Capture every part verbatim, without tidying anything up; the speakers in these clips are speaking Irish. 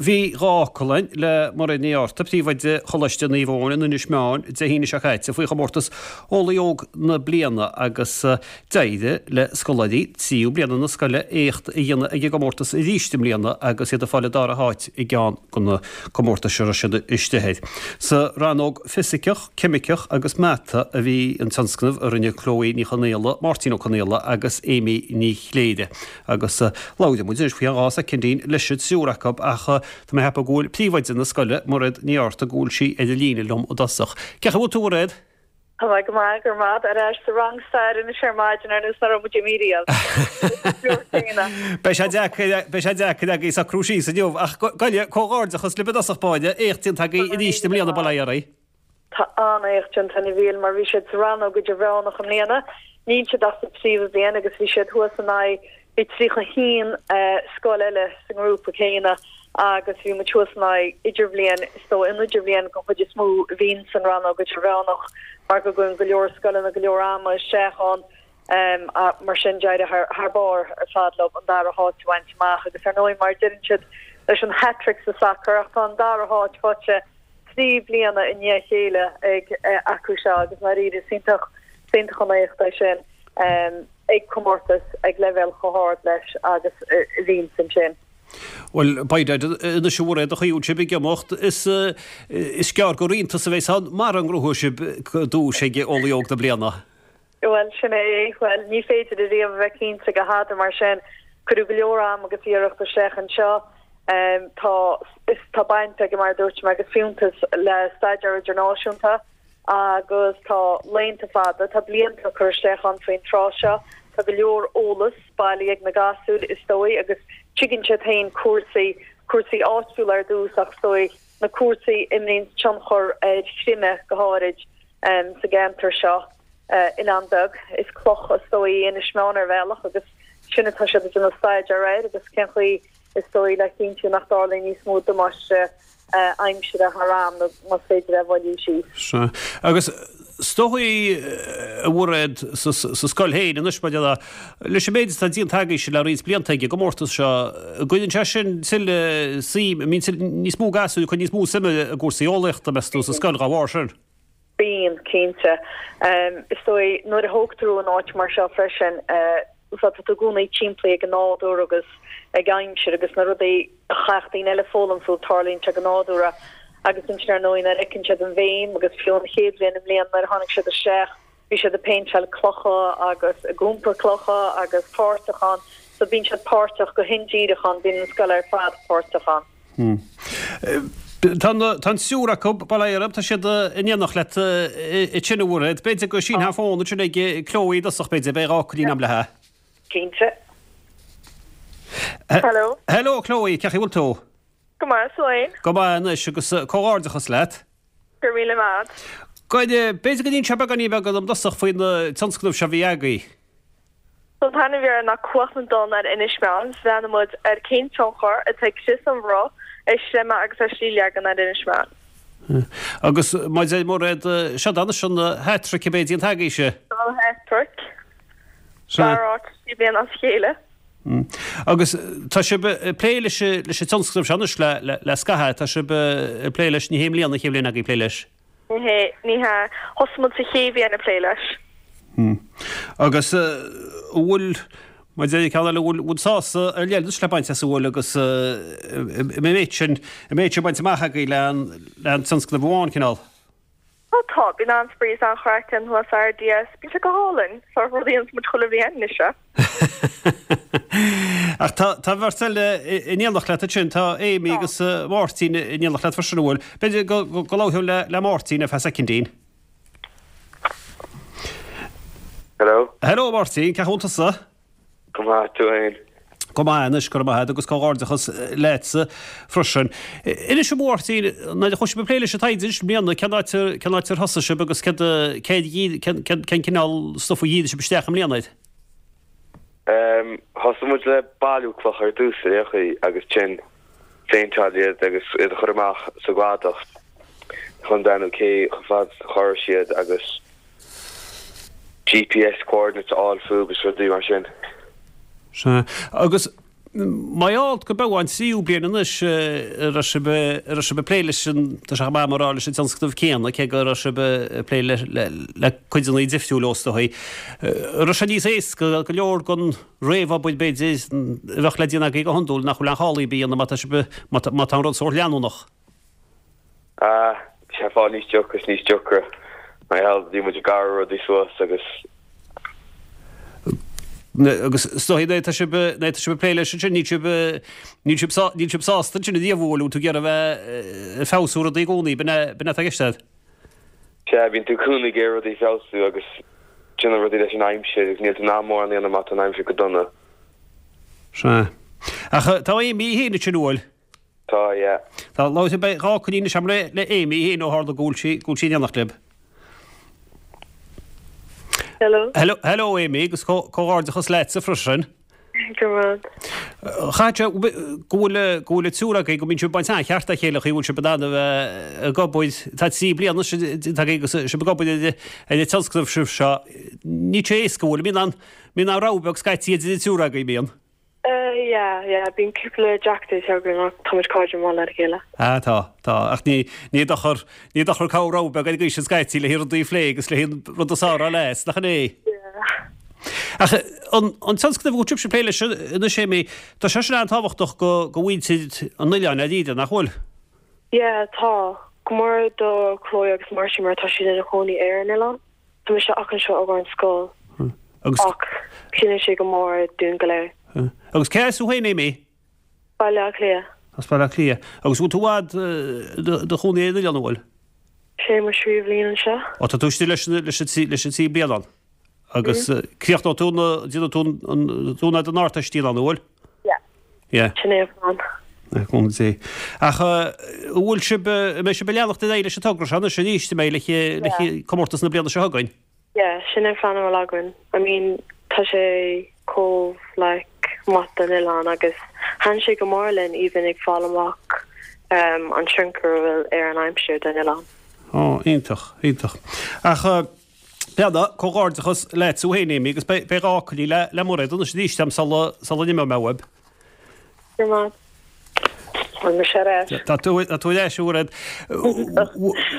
Bhí dhá fhocal againn le Mairéad Ní Fhátharta, Príomhoide Choláiste Naomh Eoin in Inis Meáin Dé hAoine seo caite faoi chomórtas Eolaí Óg na Bliana agus d'éirigh le scoláirí tríú bliana na scoile éacht a dhéanamh ag an gcomórtas arís i mbliana agus iad ag fáil an dara háit i gceann de na comórtais a raibh siad istigh air. Sa rannóg Fisiceach, Ceimiceach agus Mata a bhí an tionscnamh a rinne Chloe Ní Chonaola, Máirtín Ó Conaola agus Amy Ní Chléire agus labhróidh muid anois faoi dhá soicindín leis an triúr acu ach tá mé ag ceapadh go bhfuil príomhoide na scoile, Mairéad Ní Fhátharta, go bhfuil sí ar an líne liom i dtosach. Cén chaoi a bhfuil tú, a Mhairéad? Tá mé go maith, go raibh maith agat. Ar ais sa rang staire anois ar maidin ar nós nach raibh muid imithe riamh. Beidh sé deacair, beidh sé deacair agaibh socrú síos inniu ach gabh comhghairdeachas libh i dtosach báire, éacht déanta agaibh arís i mbliana, bail ó Dhia oraibh. Tá an-éacht déanta a Mhíchíl mar bhí siad sa rannóg idirmheánach i mbliana, níl siad ach sa tríú bliain agus bhí siad thuas in aghaidh, bhí tríocha a haon scoil eile sa ngrúpa céanna agus bhí muid thuas in aghaidh idirbhliain, is dóigh an idirbhliain den chuid is mó a bhíonn san rannóg idirmheánach mar go gcuireann go leor scoileanna go leor ama isteach ann. Mar sin d'éirigh thar barr ar fad leo an dara háit a bhaint amach agus ar ndóigh mar a deireann siad leis an hat-trick sa sacar ach tá an dara háit faighte trí bliana i ndiaidh a chéile ag acu seo agus ndáiríre is iontach is iontach an éacht é sin ag comórtas ag leibhéal chomh hard leis agus a bhíonns ansin. Bhuel, beidh anois a Mhairéad an chaoi a bhfuil sibh ag imeacht, is is gearr gur iontas a bheas ann mara ngnóthóidh sibh duais ag Eolaí Óg na Bliana. Bhuel, sin é. Bhuel, ní féidir ariamh a bheith cinnte de thada mar sin. Cuireadh go leor am agus iarracht isteach anseo. Tá, is tá baint aige, mar a dúirt mé, agus fiúntas le staidéar idirnáisiúnta agus tá laethanta fada, tá blianta curtha isteach ann faoin tráth seo. Tá go leor eolas bailithe ag na gasúir, is dóigh, agus tuigeann siad féin cúrsaí, cúrsaí áitiúla ar dtús ach is dóigh na cúrsaí a imríonn tionchar ar chreimeadh go háirid sa gceantar seo. Oileán beag, is cloch is dóigh í Inis Meáin ar bhealach agus sin atá siad ag déanamh staidéar air agus cén chaoi is dóigh le cinntiú nach dtarlaíonn níos mó damáiste aimsire thar am nó más féidir é a mhoilliú síos. Sea. Agus is dóigh, a Mhairéad, sa scoil féin anois, mar a déarfá, leis an méid atá déanta agaibhse le roinnt blianta ag an gcomórtas seo, an gcuireann sé sin tuilleadh suim, an mbíonn níos mó gasúir ag cur níos mó suime i gcúrsaí eolaíochta, meas tú, sa scoil dá bharr sin? Bíonn, cinnte. Is dóigh, nuair a thógtar thú in áit mar seo freisin, tá tú i gcónaí timpeallaithe ag an nádúr agus ag aimsir agus na rudaí a chaithfeadh daoine eile foghlaim fúthu, tarlaíonn sé go nádúrtha. Agus ansin ar ndóigh nuair a fheiceann siad an bhéim agus fiú an chéad bhliain i mbliana nuair a tháinig siad isteach, bhí siad ag péinteáil clocha agus ag iompar clocha agus páirteach ann. So bíonn siad páirteach go hindíreach ann, bíonn an scoil ar fad páirteach ann. Tá an triúr acu, bail ó Dhia orthu, tá siad in éineacht leat ansin a Mhairéad. B'fhéidir go sínfeá an fón ansin ag Chloe i dtosach, b'fhéidir, beidh dhá fhocailín agam léi. Cinnte. Hello. Hello Chloe, cén chaoi a bhfuil tú? Go maith, tú fhéin? Go maith anois agus comhghairdeachas leat. Go raibh míle maith agat. B'fhéidir go n-inseofá beagáinín beag dom i dtosach faoin tionscnamh seo a bhí agaibh. So an t-ainm a bhí air ná Cumhacht na dTonn ar Inis Meáin. Bhreathnaigh muid ar cén tionchar atá ag crios an bhruith ar chreimeadh agus ar shlichleagan ar Inis Meáin. Agus mar a deir Mairéad, seo anois an hat-trick a bheidh déanta agaibhse. Seo an hat-trick. Dara háit trí bliana as a chéile. Agus tá sibh ag plé leis an tionscnamh seo anois le scaitheamh, tá sibh ag plé leis, ní hé i mbliana an chéad bhliain agaibh ag plé leis. Ní hé, ní hea. Thosaigh muid sa chéad bhliain ag plé leis. Agus an bhfuil, mar a deir an ceann eile, an bhfuil sásamh ar leith anois le baint as an bhfuil agus an méid sin, an méid sin bainte amach agaibh le an tionscnamh amháin, cineál? Tá, tá. Bíonn an-spraoi is an-chraic ann thuas sa RDS. Bíonn sé go hálainn. Sórt rud a dhéananns muid chuile bhliain anois é. Ach tá tá beirt eile in éineacht leat ansin, tá Amy agus Máirtín in éineacht leat freisin, an bhfuil? B'fhéidir go go labhróinn le le Máirtín ar feadh soicindín. Hello. Hello Máirtín, cén chaoi a bhfuil tusa? Go maith, tú fhéin? Go maith anois, go raibh maith agat agus comhghairdeachas leatsa freisin. Inis a Mháirtín, nuair a chuaigh sibh ag plé leis an taighde anois i mbliana, cén áit ar cén áit ar thosaigh sibh agus céard céard cén cén cén cineál stuif a dhírigh sibh isteach i mbliana air? Em, thosaigh muid le bailiú cloch ar dtús ar aon chaoi agus ansin phéinteáil iad agus iad a chur amach sa gcladach chun breathnú cé chomh fada is a chorraigh siad agus GPS coordinates a fháil fúthu agus rudaí mar sin. Sea. Agus Mar gheall go b'é an tríú bliain anois a raibh sibh a raibh sibh ag plé leis an, tá sé chomh maith mar rá leis an tionscnamh céanna, cé go raibh sibh ag plé le le le cuideanna difriúla is dóigh. Raibh sé níos éasca go leor den réamhobair b'fhéidir a bheadh le déanamh agaibh go hiondúil nach bhfuil aon chall ar bith a dhéanamh má tá sibh má tá má tá an rud sórt leanúnach. Ah, bhí sé ag fáil níos deacra is níos deacra. Mar gheall, bhí muid ag gearradh rudaí suas agus. Agus is dóigh nuair atá sibh nuair atá sibh ag plé leis ansin níl sibh níl sibh sá níl sibh sásta ansin ariamh an bhfuil tú ag iarraidh a bheith ag feabhsú rudaí i gcónaí b'in é b'in é atá i gceist agat. Sea, bíonn tú i gcónaí ag iarraidh rudaí a feabhsú agus déanamh rudaí leis an aimsir agus níl tú in ann mórán a dhéanamh má tá an aimsir go dona. Sea. Ach tá Amy féin ansin an bhfuil? Tá, yeah. Tá, labhair beidh dhá coinín anois agam le le Amy féin ó tharla go bhfuil sí go bhfuil sí in éineacht libh. Hello. Hello, hello Amy, agus comhghairdeachas leatsa freisin. Go raibh. Chaith sé go bhfuil go bhfuil an triúr agaibh go mbíonn sibh ag baint an-cheart dá chéile chaoi bhfuil sibh in ann a bheith ag obair, tá trí bliana déanta agaibh agus sibh ag obair ar ar an tionscnamh sibh seo. Níl sé éasca an bhfuil, mbíonn an mbíonn an rogha beag scaití idir an triúr agaibh, mbíonn? Uh, yeah, yeah, bíonn cúpla deacrachtaí againn ach táimid cairde maith le chéile. Ah, tá, tá, ach ní ní dochar ní dochar comhrá beag ar an gcaoi sin scaití le rudaí a phlé agus le rud a sárá leis, nach in é? Yeah. Ach an an tionscnamh go bhfuil sibh ag plé leis anois Amy, tá sé sin an-tábhachtach go go mhuintir an oileáin dáiríre, nach bhfuil? Yeah, tá. Go mór do Chloe agus Marcy mar tá siad ina chónaí ar an oileán. Tá mise ach anseo ag an scoil. Agus Ach ciallaíonn sé go mór dúinn go léir. agus cé as thú féin Amy? Baile Átha Cliath. As Baile Átha Cliath. Agus bhfuil tú i bhfad i do chónaí ar an oileán an bhfuil? Sé mo thríú bliain anseo. Ó tá tú istigh leis leis an trí leis an trí bliana ann. Agus críochnóidh tú na déanfaidh tú an tú na den Ardteist an bhfuil? Yeah. Yeah. Sin é an plean. Cúnamh Dé. Ach an bhfuil sibh an mbeidh sibh ag leanacht ar aghaidh leis an togra seo anois arís an mbeidh le le comórtas na bliana seo chugainn? Yeah, sin an plean a bhfuil againn. I mean, tá sé chomh like maith don oileán agus thaitin sé go mór linn even ag fáil amach um, an tionchar a bhfuil ar an aimsir den oileán. Ó, iontach, iontach. Ach Peada, comhghairdeachas leat tú féin Amy agus beidh dhá coinín le le Mairéad anois arís am sula sula n-imeoidh mé uaibh. Go maith. Bhfuil mise ar ais. Tá tú tá tú ar ais a Mhairéad.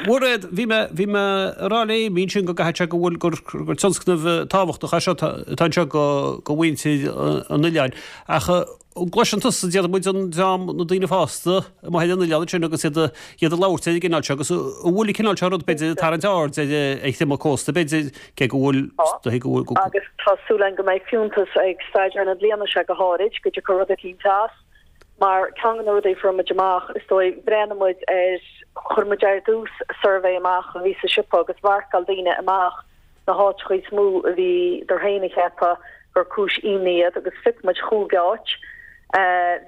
Mhairéad, bhí mé bhí mé ag rá le Amy ansin go gcaithfidh sé go bhfuil gur gur tionscnamh tábhachtach é seo atá anseo go go mhuintir an oileáin. Ach an gcloiseann tusa déarfaidh muid an dream na daoine fásta amuigh ar an oileán ansin agus iad iad ag labhairt ar an gcineál seo agus an bhfuil an cineál seo rud b'fhéidir ag tarraingt aird ar ar thriomaigh cósta b'fhéidir cé go bhfuil go bhfuil go Agus tá súil againn go mbeidh fiúntas ag staidéar na bliana seo go háirid go dtiocfaidh rud eicínt as. Mar ceann de na rudaí a fuair muid amach is dóigh bhreathnaigh muid ar chuir muid ar dtús suirbhé amach a bhí sa siopa agus mharcáil daoine amach na háiteacha is mó a bhí dar féin a cheapadh gur cúis imní iad agus phioc muid chúig áit.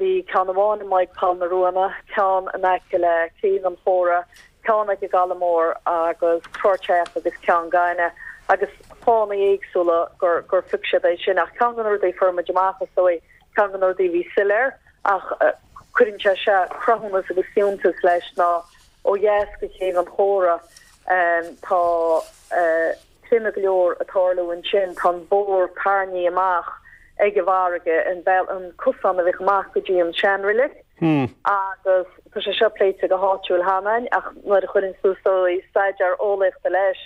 Bhí ceann amháin i Maigh Poll na Ruanna, ceann in aice le Céibh an Chóra, ceann ag an gCaladh Mór agus Trá Theach agus Ceann Gainne agus fáthanna éagsúla gur gur phioc siad é sin ach ceann de na rudaí a fuair muid amach is dóigh ceann de na rudaí a bhí soiléir ach cuireann sé seo cruthúnas agus fiúntas leis ná ó dheas go Céibh an Chóra tá triomaigh go leor ag tarlú ansin, tá an bóthar tarraingthe amach ag an bhfarraige, an an cosán a bhíodh amach go dtí an seanreilig agus tá sé seo pléite go háitiúil cheana ach nuair a chuireann tú staidéar eolaíochta leis,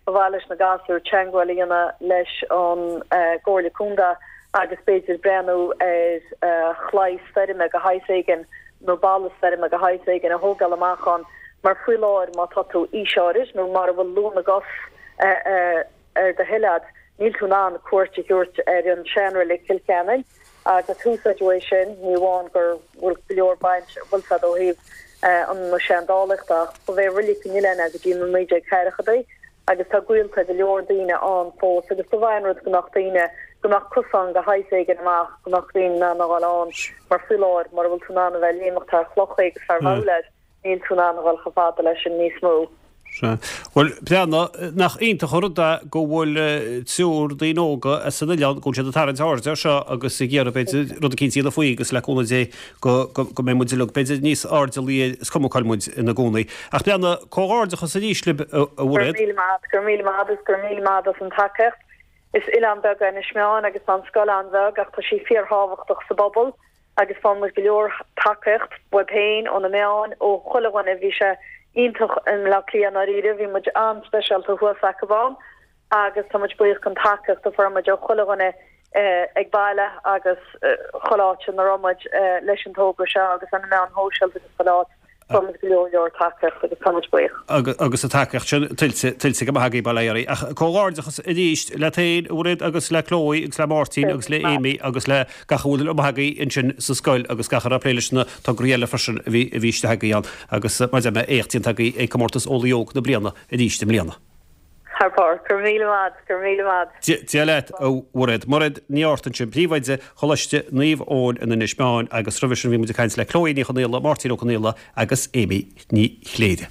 Ba mhaith leis na gasúir teagmháil a dhéanamh leis an gComhairle Contae agus b'fhéidir breathnú ar chlaí stoirme de shaghas éigin nó balla stoirme de shaghas éigin a thógáil amach ann mar faoi láthair má tá tú aois áirid nó mura bhfuil luath na gcos ar do thoil agat níl tú in ann cuairt a thabhairt ar an seanreilig Cill Cheanainn agus úsáideadh é sin ní amháin go bhfuil go leor baint bhfuil fad ó thaobh an na seandálaíochta ach ba é reilig an oileáin é go dtí na naoi déag ceathrachaidí agus tá gaolta go leor daoine ann fós agus ba mhaith an rud go mbeadh daoine go mbeadh cosán de shaghas éigin amach go mbeadh daoine in ann a dhul ann mar faoi láthair mura bhfuil tú in ann a bheith ag léimeacht thar chlocha agus thar bhabhla níl tú in ann a dhul chomh fada leis sin níos mó. Sea. Bhuel, breathnaigh, nach iontach an rud é go bhfuil triúr daoine óga as an oileán, go bhfuil siad ag tarraingt aird air seo agus ag iarraidh, b'fhéidir, rud eicínt a dhéanamh faoi agus le cúnamh Dé go, go, go mbeidh muid uilig, b'fhéidir, níos airdeallaí air, is cuma cá bhfuil muid ina gcónaí. Ach breathnaigh, comhghairdeachas arís libh, a Go raibh Mhairéad. míle maith agat, go raibh míle maith agat agus go raibh míle maith agat as an tacaíocht. Is oileán beag é Inis Meáin agus tá an scoil an-bheag ach tá sí fíorthábhachtach sa bpobal. agus fuair muid go leor tacaíocht uaibh féin ó na meáin ó chuile dhuine bhí sé iontach i mBleá Cliath ndáiríre bhí muid an-speisialta thuas acu ann agus tá muid buíoch den tacaíocht a fuair muid ó chuile dhuine ag baile agus chuile áit ina raibh muid leis an togra seo agus ar na meáin shóisialta agus chuile áit. Fuair muid go leor leor tacaíocht agus tá muid buíoch. Agus an tacaíocht sin tuillte tuillte go maith agaibh bail ó Dhia oraibh. Ach comhghairdeachas arís leat féin, a Mhairéad, agus le Chloe agus le Máirtín agus le Amy agus le gach a bhfuil amuigh agaibh ansin sa scoil agus gach a raibh ag plé leis na tograí eile freisin a bhí a bhí istigh agaibh ann. Agus mar a deir mé, éacht déanta agaibh ag Comórtas Eolaí Óg na Bliana arís i mbliana. Thar barr. Go raibh míle maith, go raibh míle maith. Dia leat, a Mhairéad. Mairéad Ní Fhátharta ansin, Príomhoide Choláiste Naomh Eoin in Inis Meáin agus roimhe sin bhí muid ag caint le Chloe Ní Chonaola, Máirtín Ó Conaola agus Amy Ní Chléire.